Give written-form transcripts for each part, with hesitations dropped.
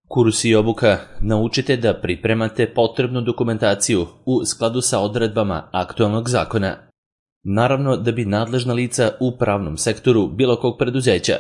Kurs i obuka naučite da pripremate potrebnu dokumentaciju u skladu sa odredbama aktualnog zakona. Naravno da bi nadležna lica u pravnom sektoru bilo kog preduzeća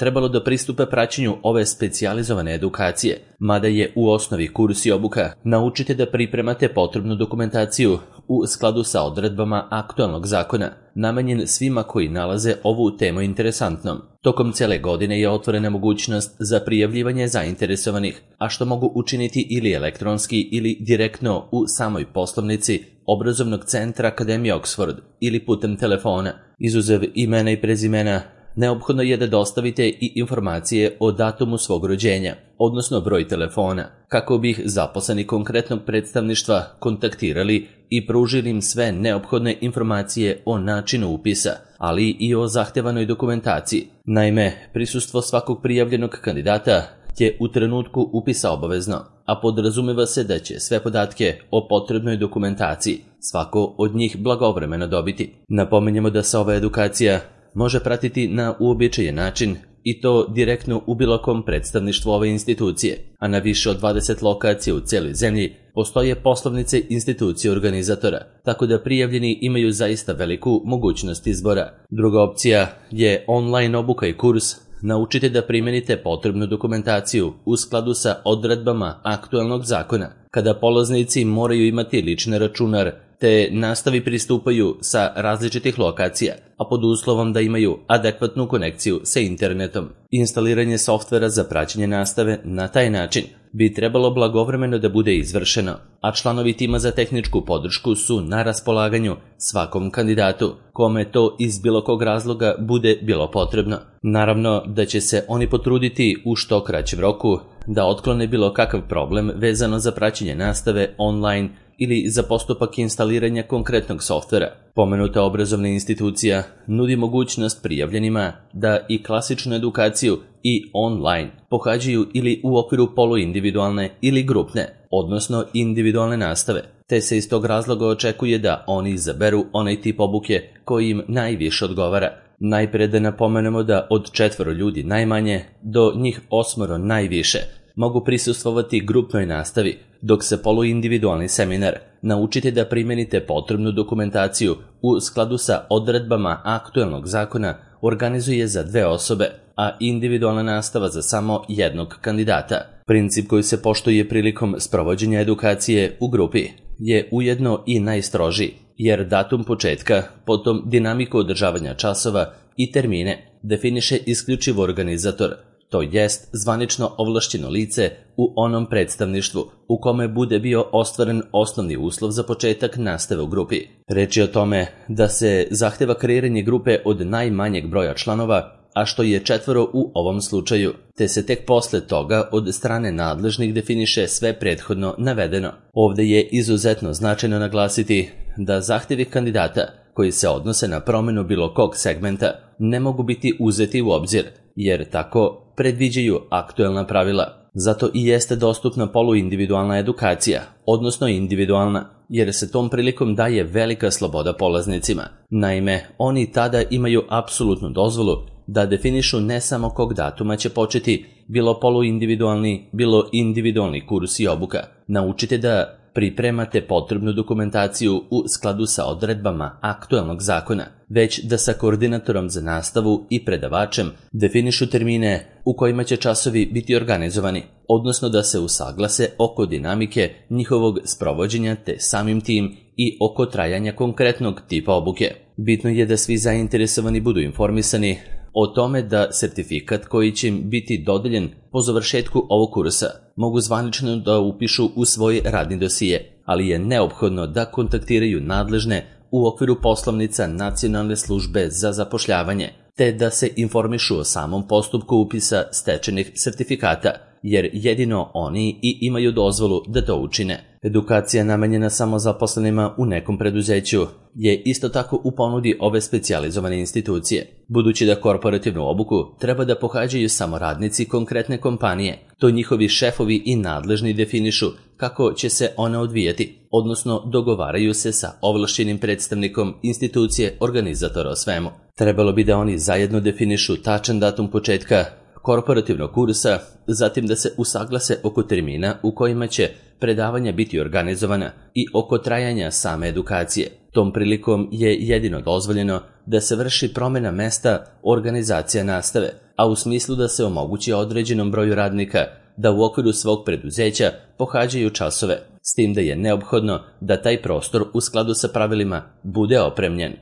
trebalo da pristupe praćenju ove specijalizovane edukacije, mada je u osnovi kurs i obuka naučite da pripremate potrebnu dokumentaciju u skladu sa odredbama aktualnog zakona, namenjen svima koji nalaze ovu temu interesantnom. Tokom cele godine je otvorena mogućnost za prijavljivanje zainteresovanih, a što mogu učiniti ili elektronski ili direktno u samoj poslovnici Obrazovnog centra Akademije Oxford ili putem telefona. Izuzev imena i prezimena, neophodno je da dostavite i informacije o datumu svog rođenja, odnosno broj telefona, kako bi ih zaposleni konkretnog predstavništva kontaktirali i pružili im sve neophodne informacije o načinu upisa, ali i o zahtevanoj dokumentaciji. Naime, prisustvo svakog prijavljenog kandidata je u trenutku upisa obavezno, a podrazumeva se da će sve podatke o potrebnoj dokumentaciji svako od njih blagovremeno dobiti. Napominjemo da se ova edukacija može pratiti na uobičajen način i to direktno u bilo kom predstavništvu ove institucije, a na više od 20 lokacija u cijeloj zemlji postoje poslovnice institucije organizatora, tako da prijavljeni imaju zaista veliku mogućnost izbora. Druga opcija je online obuka i kurs. Naučite da primenite potrebnu dokumentaciju u skladu sa odredbama aktualnog zakona, kada polaznici moraju imati lični računar te nastavi pristupaju sa različitih lokacija, a pod uslovom da imaju adekvatnu konekciju sa internetom. Instaliranje softvera za praćenje nastave na taj način bi trebalo blagovremeno da bude izvršeno, a članovi tima za tehničku podršku su na raspolaganju svakom kandidatu, kome to iz bilo kog razloga bude bilo potrebno. Naravno da će se oni potruditi u što kraćem roku da otklone bilo kakav problem vezano za praćenje nastave online ili za postupak instaliranja konkretnog softvera. Pomenuta obrazovna institucija nudi mogućnost prijavljenima da i klasičnu edukaciju i online pohađaju ili u okviru poluindividualne ili grupne, odnosno individualne nastave, te se iz tog razloga očekuje da oni izaberu onaj tip obuke koji im najviše odgovara. Najpre da napomenemo da od 4 ljudi najmanje do njih 8 najviše mogu prisustvovati grupnoj nastavi, dok se poluindividualni seminar naučite da primenite potrebnu dokumentaciju u skladu sa odredbama aktualnog zakona organizuje za 2 osobe, a individualna nastava za samo jednog kandidata. Princip koji se poštuje prilikom sprovođenja edukacije u grupi je ujedno i najstrožiji, jer datum početka, potom dinamiku održavanja časova i termine definiše isključivo organizator, to jest zvanično ovlašćeno lice u onom predstavništvu u kome bude bio ostvaren osnovni uslov za početak nastave u grupi. Reč je o tome da se zahteva kreiranje grupe od najmanjeg broja članova, a što je 4 u ovom slučaju, te se tek posle toga od strane nadležnih definiše sve prethodno navedeno. Ovde je izuzetno značajno naglasiti da zahtevi kandidata koji se odnose na promenu bilo kog segmenta ne mogu biti uzeti u obzir, jer tako predviđaju aktuelna pravila. Zato i jeste dostupna poluindividualna edukacija, odnosno individualna, jer se tom prilikom daje velika sloboda polaznicima. Naime, oni tada imaju apsolutnu dozvolu da definišu ne samo kog datuma će početi bilo poluindividualni, bilo individualni kurs i obuka. Naučite da pripremate potrebnu dokumentaciju u skladu sa odredbama aktualnog zakona, već da sa koordinatorom za nastavu i predavačem definišu termine u kojima će časovi biti organizovani, odnosno da se usaglase oko dinamike njihovog sprovođenja te samim tim i oko trajanja konkretnog tipa obuke. Bitno je da svi zainteresovani budu informisani o tome da sertifikat koji će im biti dodeljen po završetku ovog kursa mogu zvanično da upišu u svoj radni dosije, ali je neophodno da kontaktiraju nadležne u okviru poslovnica Nacionalne službe za zapošljavanje, te da se informišu o samom postupku upisa stečenih sertifikata, jer jedino oni i imaju dozvolu da to učine. Edukacija namenjena samo zaposlenima u nekom preduzeću je isto tako u ponudi ove specijalizovane institucije. Budući da korporativnu obuku treba da pohađaju samo radnici konkretne kompanije, to njihovi šefovi i nadležni definišu kako će se ona odvijati, odnosno dogovaraju se sa ovlašćenim predstavnikom institucije organizatora o svemu. Trebalo bi da oni zajedno definišu tačan datum početka, korporativnog kursa, zatim da se usaglase oko termina u kojima će predavanja biti organizovana i oko trajanja same edukacije. Tom prilikom je jedino dozvoljeno da se vrši promjena mesta organizacija nastave, a u smislu da se omogući određenom broju radnika da u okviru svog preduzeća pohađaju časove, s tim da je neophodno da taj prostor u skladu sa pravilima bude opremljen.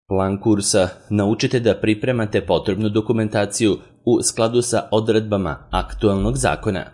Plan kursa: naučite da pripremate potrebnu dokumentaciju u skladu sa odredbama aktualnog zakona,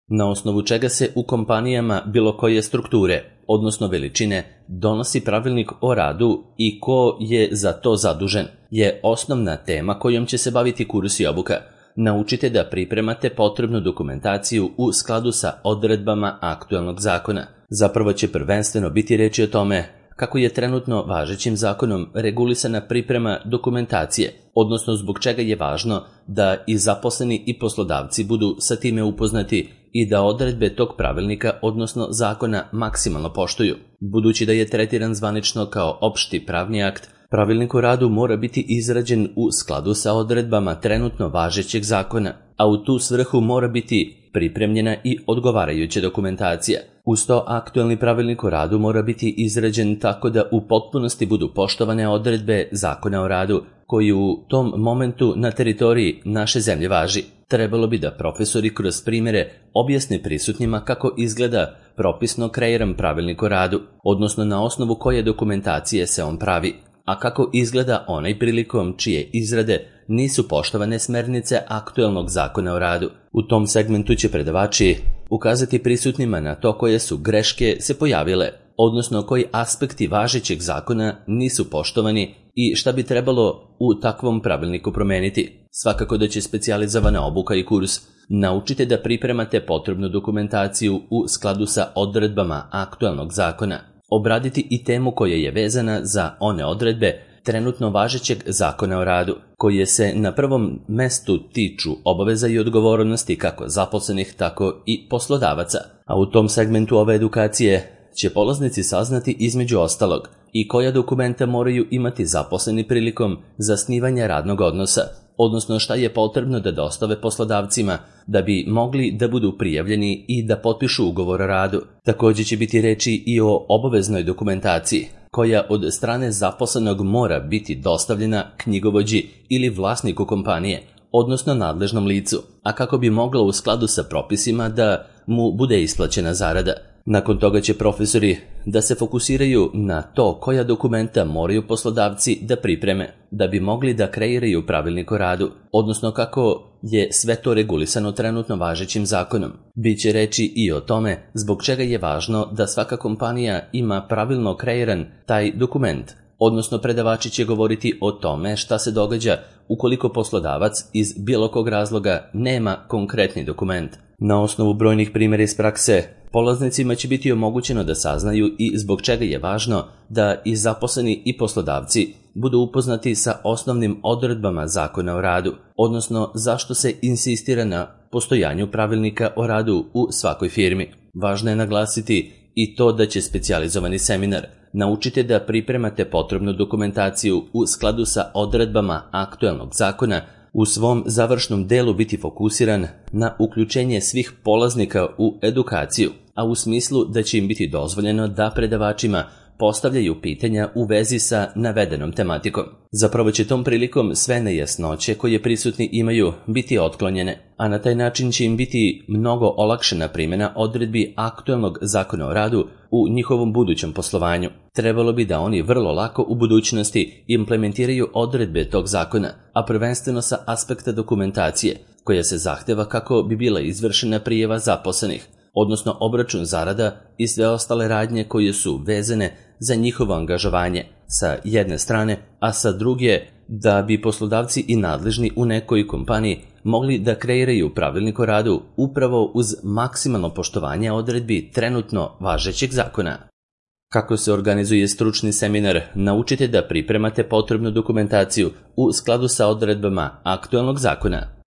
na osnovu čega se u kompanijama bilo koje strukture, odnosno veličine, donosi pravilnik o radu i ko je za to zadužen, je osnovna tema kojom će se baviti kurs i obuka. Naučite da pripremate potrebnu dokumentaciju u skladu sa odredbama aktualnog zakona. Zapravo će prvenstveno biti reči o tome kako je trenutno važećim zakonom regulisana priprema dokumentacije, odnosno zbog čega je važno da i zaposleni i poslodavci budu sa time upoznati i da odredbe tog pravilnika, odnosno zakona, maksimalno poštuju. Budući da je tretiran zvanično kao opšti pravni akt, pravilnik o radu mora biti izrađen u skladu sa odredbama trenutno važećeg zakona, a u tu svrhu mora biti pripremljena i odgovarajuća dokumentacija. Uz to, aktualni pravilnik o radu mora biti izrađen tako da u potpunosti budu poštovane odredbe zakona o radu koji u tom momentu na teritoriji naše zemlje važi. Trebalo bi da profesori kroz primjere objasne prisutnima kako izgleda propisno kreiran pravilnik o radu, odnosno na osnovu koje dokumentacije se on pravi, a kako izgleda onaj prilikom čije izrade nisu poštovane smernice aktualnog zakona o radu. U tom segmentu će predavači ukazati prisutnima na to koje su greške se pojavile, odnosno koji aspekti važećeg zakona nisu poštovani i šta bi trebalo u takvom pravilniku promeniti. Svakako da će specijalizovana obuka i kurs naučite da pripremate potrebnu dokumentaciju u skladu sa odredbama aktualnog zakona, obraditi i temu koja je vezana za one odredbe trenutno važećeg zakona o radu, koje se na prvom mestu tiču obaveza i odgovornosti kako zaposlenih, tako i poslodavaca. A u tom segmentu ove edukacije će polaznici saznati između ostalog i koja dokumenta moraju imati zaposleni prilikom zasnivanja radnog odnosa, odnosno šta je potrebno da dostave poslodavcima da bi mogli da budu prijavljeni i da potpišu ugovor o radu. Također će biti reči i o obaveznoj dokumentaciji, koja od strane zaposlenog mora biti dostavljena knjigovođi ili vlasniku kompanije, odnosno nadležnom licu, a kako bi mogla u skladu sa propisima da mu bude isplaćena zarada. Nakon toga će profesori da se fokusiraju na to koja dokumenta moraju poslodavci da pripreme da bi mogli da kreiraju pravilnik o radu, odnosno kako je sve to regulisano trenutno važećim zakonom. Biće reči i o tome zbog čega je važno da svaka kompanija ima pravilno kreiran taj dokument, odnosno predavači će govoriti o tome šta se događa ukoliko poslodavac iz bilo kog razloga nema konkretni dokument. Na osnovu brojnih primjera iz prakse, polaznicima će biti omogućeno da saznaju i zbog čega je važno da i zaposleni i poslodavci budu upoznati sa osnovnim odredbama zakona o radu, odnosno zašto se insistira na postojanju pravilnika o radu u svakoj firmi. Važno je naglasiti i to da će specijalizovani seminar naučite da pripremate potrebnu dokumentaciju u skladu sa odredbama aktualnog zakona u svom završnom delu biti fokusiran na uključenje svih polaznika u edukaciju, a u smislu da će im biti dozvoljeno da predavačima postavljaju pitanja u vezi sa navedenom tematikom. Zapravo će tom prilikom sve nejasnoće koje prisutni imaju biti otklonjene, a na taj način će im biti mnogo olakšana primjena odredbi aktualnog zakona o radu u njihovom budućem poslovanju. Trebalo bi da oni vrlo lako u budućnosti implementiraju odredbe tog zakona, a prvenstveno sa aspekta dokumentacije, koja se zahteva kako bi bila izvršena prijava zaposlenih, odnosno obračun zarada i sve ostale radnje koje su vezane za njihovo angažovanje sa jedne strane, a sa druge da bi poslodavci i nadležni u nekoj kompaniji mogli da kreiraju pravilnik o radu upravo uz maksimalno poštovanje odredbi trenutno važećeg zakona. Kako se organizuje stručni seminar, naučite da pripremate potrebnu dokumentaciju u skladu sa odredbama aktualnog zakona.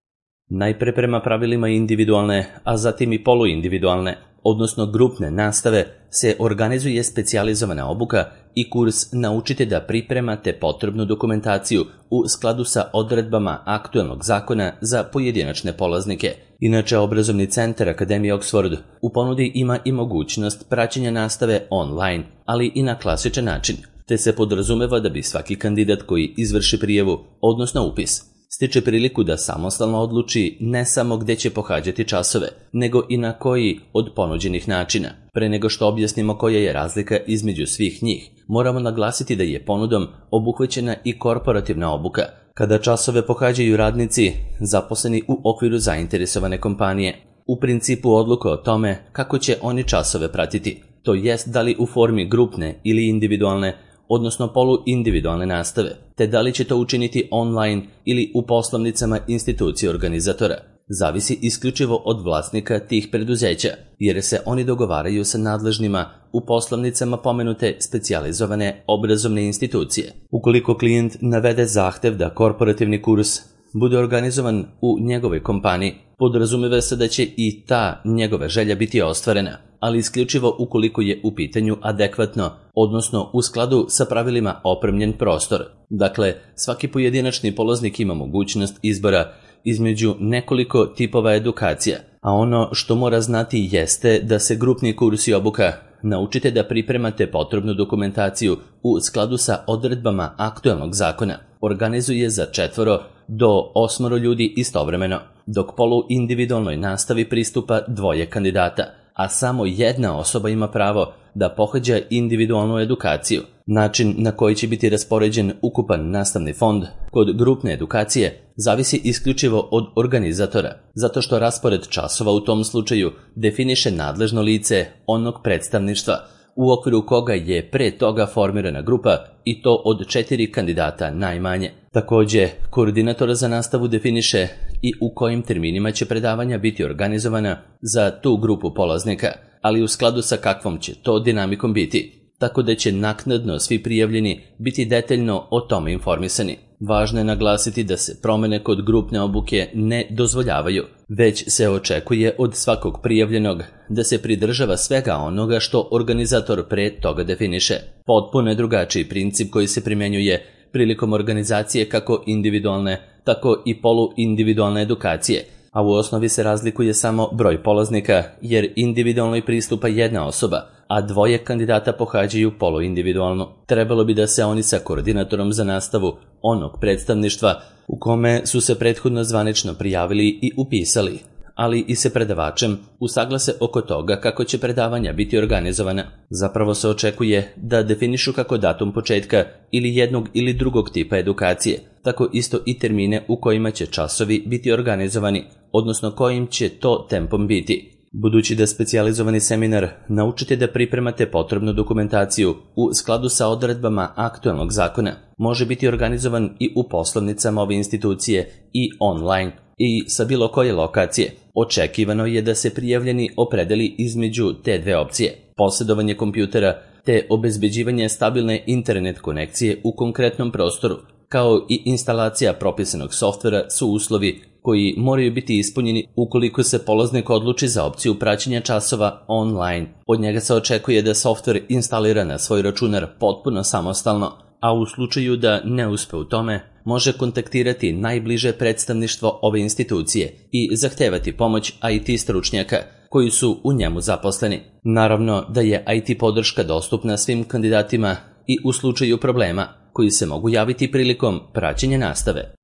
Najpre prema pravilima individualne, a zatim i poluindividualne, odnosno grupne nastave, se organizuje specijalizovana obuka i kurs Naučite da pripremate potrebnu dokumentaciju u skladu sa odredbama aktuelnog zakona za pojedinačne polaznike. Inače, obrazovni centar Akademije Oxford u ponudi ima i mogućnost praćenja nastave online, ali i na klasičan način, te se podrazumeva da bi svaki kandidat koji izvrši prijavu, odnosno upis, stiče priliku da samostalno odluči ne samo gde će pohađati časove, nego i na koji od ponuđenih načina. Pre nego što objasnimo koja je razlika između svih njih, moramo naglasiti da je ponudom obuhvaćena i korporativna obuka, kada časove pohađaju radnici zaposleni u okviru zainteresovane kompanije. U principu odluka o tome kako će oni časove pratiti, to jest da li u formi grupne ili individualne, odnosno poluindividualne nastave, te da li će to učiniti online ili u poslovnicama institucije organizatora, zavisi isključivo od vlasnika tih preduzeća, jer se oni dogovaraju sa nadležnima u poslovnicama pomenute specijalizovane obrazovne institucije. Ukoliko klijent navede zahtev da korporativni kurs bude organizovan u njegovoj kompaniji, podrazumeva se da će i ta njegova želja biti ostvarena, ali isključivo ukoliko je u pitanju adekvatno, odnosno u skladu sa pravilima opremljen prostor. Dakle, svaki pojedinačni polaznik ima mogućnost izbora između nekoliko tipova edukacija, a ono što mora znati jeste da se grupni kurs i obuka Naučite da pripremate potrebnu dokumentaciju u skladu sa odredbama aktuelnog zakona organizuje za 4 do 8 ljudi istovremeno, dok poluindividualnoj nastavi pristupa 2 kandidata, a samo jedna osoba ima pravo da pohađa individualnu edukaciju. Način na koji će biti raspoređen ukupan nastavni fond kod grupne edukacije zavisi isključivo od organizatora, zato što raspored časova u tom slučaju definiše nadležno lice onog predstavništva u okviru koga je pre toga formirana grupa i to od 4 kandidata najmanje. Takođe, koordinator za nastavu definiše i u kojim terminima će predavanja biti organizovana za tu grupu polaznika, ali u skladu sa kakvom će to dinamikom biti, tako da će naknadno svi prijavljeni biti detaljno o tome informisani. Važno je naglasiti da se promene kod grupne obuke ne dozvoljavaju, već se očekuje od svakog prijavljenog da se pridržava svega onoga što organizator pre toga definiše. Potpuno je drugačiji princip koji se primjenjuje prilikom organizacije kako individualne, tako i poluindividualne edukacije, a u osnovi se razlikuje samo broj polaznika, jer individualnoj pristupa jedna osoba, a 2 kandidata pohađaju poluindividualno. Trebalo bi da se oni sa koordinatorom za nastavu onog predstavništva u kome su se prethodno zvanično prijavili i upisali, ali i se predavačem usaglase oko toga kako će predavanja biti organizovana. Zapravo se očekuje da definišu kako datum početka ili jednog ili drugog tipa edukacije, tako isto i termine u kojima će časovi biti organizovani, odnosno kojim će to tempom biti. Budući da specijalizovani seminar Naučite da pripremate potrebnu dokumentaciju u skladu sa odredbama aktuelnog zakona može biti organizovan i u poslovnicama ove institucije i online i sa bilo koje lokacije, očekivano je da se prijavljeni opredeli između te 2 opcije. Posjedovanje kompjutera te obezbeđivanje stabilne internet konekcije u konkretnom prostoru, kao i instalacija propisanog softvera su uslovi koji moraju biti ispunjeni ukoliko se polaznik odluči za opciju praćenja časova online. Od njega se očekuje da softver instalira na svoj računar potpuno samostalno, a u slučaju da ne uspe u tome, može kontaktirati najbliže predstavništvo ove institucije i zahtevati pomoć IT stručnjaka koji su u njemu zaposleni. Naravno da je IT podrška dostupna svim kandidatima i u slučaju problema koji se mogu javiti prilikom praćenja nastave.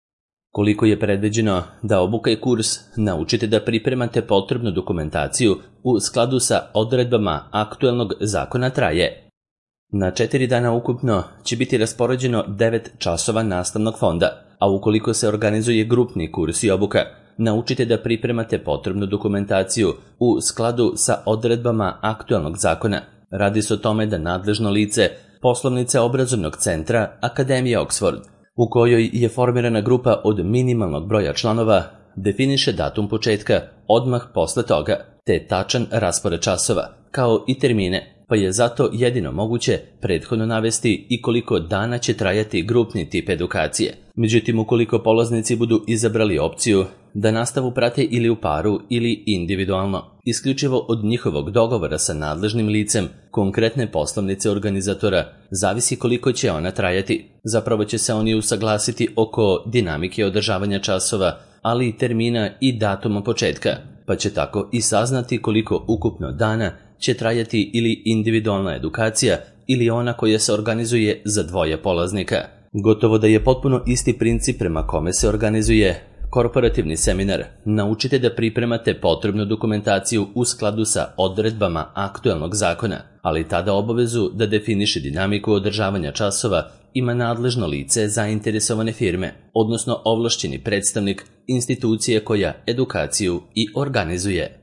Koliko je predviđeno da obuka i kurs Naučite da pripremate potrebnu dokumentaciju u skladu sa odredbama aktuelnog zakona traje? Na 4 dana ukupno će biti raspoređeno 9 časova nastavnog fonda, a ukoliko se organizuje grupni kurs i obuka, Naučite da pripremate potrebnu dokumentaciju u skladu sa odredbama aktuelnog zakona. Radi se o tome da nadležno lice poslovnice obrazovnog centra Akademije Oxford, u kojoj je formirana grupa od minimalnog broja članova, definiše datum početka odmah posle toga, te tačan raspored časova, kao i termine, pa je zato jedino moguće prethodno navesti i koliko dana će trajati grupni tip edukacije. Međutim, ukoliko polaznici budu izabrali opciju da nastavu prate ili u paru ili individualno, isključivo od njihovog dogovora sa nadležnim licem, konkretne poslovnice organizatora, zavisi koliko će ona trajati. Zapravo će se oni usaglasiti oko dinamike održavanja časova, ali i termina i datuma početka, pa će tako i saznati koliko ukupno dana će trajati ili individualna edukacija ili ona koja se organizuje za dvoje polaznika. Gotovo da je potpuno isti princip prema kome se organizuje korporativni seminar. Naučite da pripremate potrebnu dokumentaciju u skladu sa odredbama aktuelnog zakona, ali tada obavezu da definiše dinamiku održavanja časova ima nadležno lice zainteresovane firme, odnosno ovlašćeni predstavnik institucije koja edukaciju i organizuje.